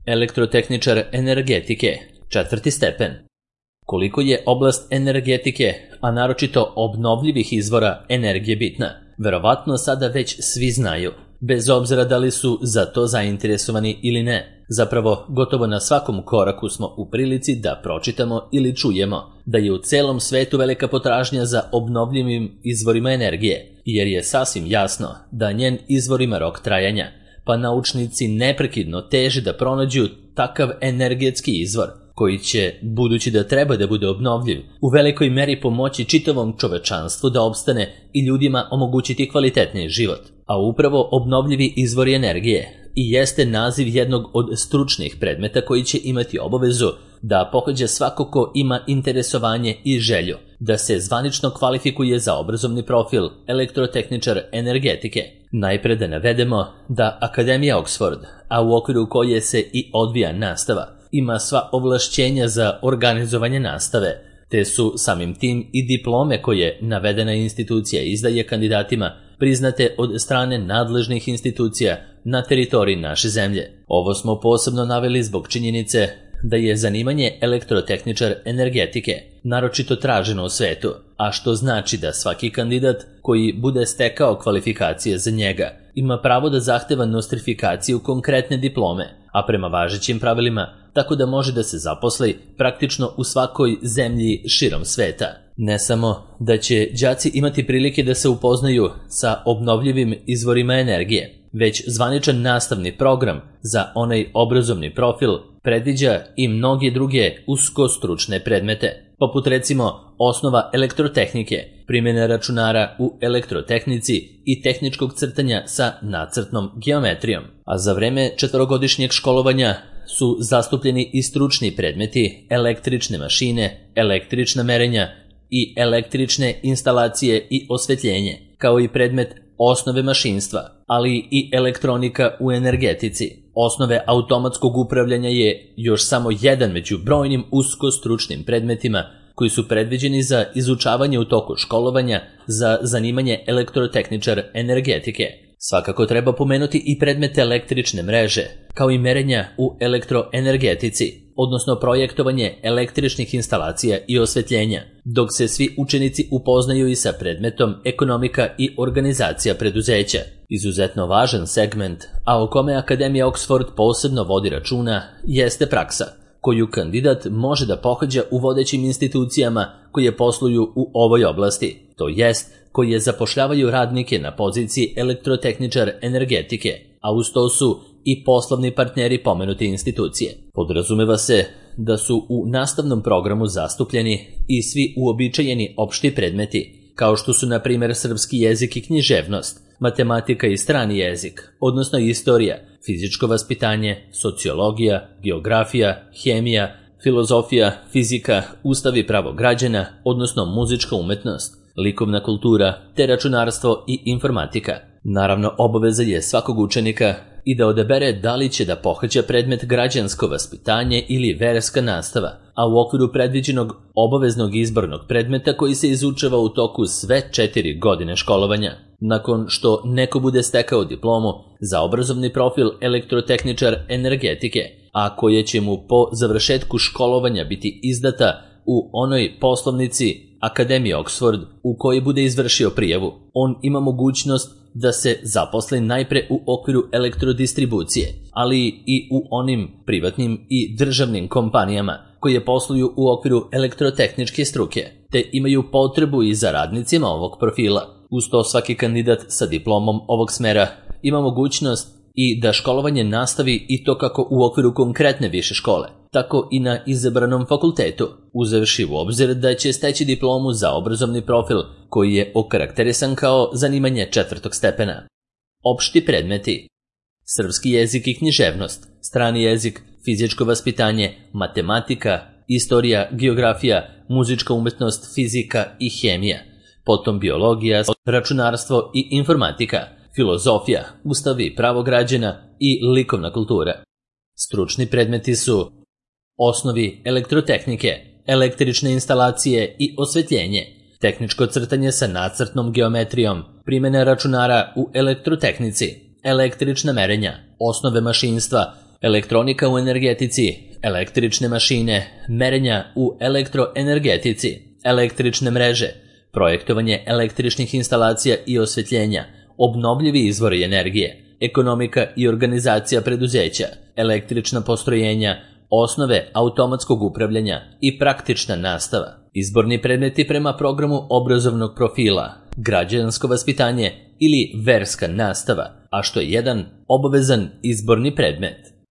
Elektrotehničar energetike, 4. stepen. Koliko je oblast energetike, a naročito obnovljivih izvora energije bitna, verovatno sada već svi znaju, bez obzira da li su za to zainteresovani ili ne. Zapravo, gotovo na svakom koraku smo u prilici da pročitamo ili čujemo da je u celom svetu velika potražnja za obnovljivim izvorima energije, jer je sasvim jasno da njen izvor ima rok trajanja, pa naučnici neprekidno teže da pronađu takav energetski izvor koji će, budući da treba da bude obnovljiv, u velikoj meri pomoći čitavom čovečanstvu da opstane i ljudima omogućiti kvalitetniji život. A upravo obnovljivi izvori energije i jeste naziv jednog od stručnih predmeta koji će imati obavezu da pohađa svako ko ima interesovanje i želju da se zvanično kvalifikuje za obrazovni profil elektrotehničar energetike. Najpre da navedemo da Akademija Oxford, a u okviru koje se i odvija nastava, ima sva ovlašćenja za organizovanje nastave, te su samim tim i diplome koje navedena institucija izdaje kandidatima priznate od strane nadležnih institucija na teritoriji naše zemlje. Ovo smo posebno naveli zbog činjenice da je zanimanje elektrotehničar energetike naročito traženo u svetu, a što znači da svaki kandidat koji bude stekao kvalifikacije za njega ima pravo da zahteva nostrifikaciju konkretne diplome, a prema važećim pravilima tako da može da se zaposli praktično u svakoj zemlji širom sveta. Ne samo da će đaci imati prilike da se upoznaju sa obnovljivim izvorima energije, već zvaničan nastavni program za onaj obrazovni profil predviđa i mnoge druge uskostručne predmete, poput recimo osnova elektrotehnike, primjene računara u elektrotehnici i tehničkog crtanja sa nacrtnom geometrijom. A za vreme 4-godišnjeg školovanja su zastupljeni i stručni predmeti električne mašine, električna merenja i električne instalacije i osvetljenje, kao i predmet osnove mašinstva, ali i elektronika u energetici. Osnove automatskog upravljanja je još samo jedan među brojnim uskostručnim predmetima koji su predviđeni za izučavanje u toku školovanja za zanimanje elektrotehničar energetike. Svakako treba pomenuti i predmete električne mreže, kao i merenja u elektroenergetici, odnosno projektovanje električnih instalacija i osvetljenja, dok se svi učenici upoznaju i sa predmetom ekonomika i organizacija preduzeća. Izuzetno važan segment, a o kome Akademija Oxford posebno vodi računa, jeste praksa, koju kandidat može da pohađa u vodećim institucijama koje posluju u ovoj oblasti, to jest koje zapošljavaju radnike na poziciji elektrotehničar energetike, a uz to su i poslovni partneri pomenute institucije. Podrazumeva se da su u nastavnom programu zastupljeni i svi uobičajeni opšti predmeti, kao što su na primjer srpski jezik i književnost, matematika i strani jezik, odnosno istorija, fizičko vaspitanje, sociologija, geografija, hemija, filozofija, fizika, ustav i pravo građana, odnosno muzička umetnost, likovna kultura, te računarstvo i informatika. Naravno, obaveza je svakog učenika i da odabere da li će da pohađa predmet građansko vaspitanje ili verska nastava, a u okviru predviđenog obaveznog izbornog predmeta koji se izučava u toku sve 4 godine školovanja. Nakon što neko bude stekao diplomu za obrazovni profil elektrotehničar energetike, a koja će mu po završetku školovanja biti izdata u onoj poslovnici Akademije Oxford u kojoj bude izvršio prijavu, on ima mogućnost da se zaposli najpre u okviru elektrodistribucije, ali i u onim privatnim i državnim kompanijama koje posluju u okviru elektrotehničke struke, te imaju potrebu i za radnicima ovog profila. Uz to svaki kandidat sa diplomom ovog smera ima mogućnost i da školovanje nastavi i to kako u okviru konkretne više škole, tako i na izabranom fakultetu, uzevši u obzir da će steći diplomu za obrazovni profil koji je okarakterisan kao zanimanje 4. stepena. Opšti predmeti: srpski jezik i književnost, strani jezik, fizičko vaspitanje, matematika, istorija, geografija, muzička umetnost, fizika i hemija, potom biologija, računarstvo i informatika, filozofija, ustav i pravo građana i likovna kultura. Stručni predmeti su osnovi elektrotehnike, električne instalacije i osvetljenje, tehničko crtanje sa nacrtnom geometrijom, primjena računara u elektrotehnici, električna merenja, osnove mašinstva, elektronika u energetici, električne mašine, merenja u elektroenergetici, električne mreže, projektovanje električnih instalacija i osvjetljenja, obnovljivi izvori energije, ekonomika i organizacija preduzeća, električna postrojenja, osnove automatskog upravljanja i praktična nastava. Izborni predmeti prema programu obrazovnog profila, građansko vaspitanje ili verska nastava, a što je jedan obavezan izborni predmet.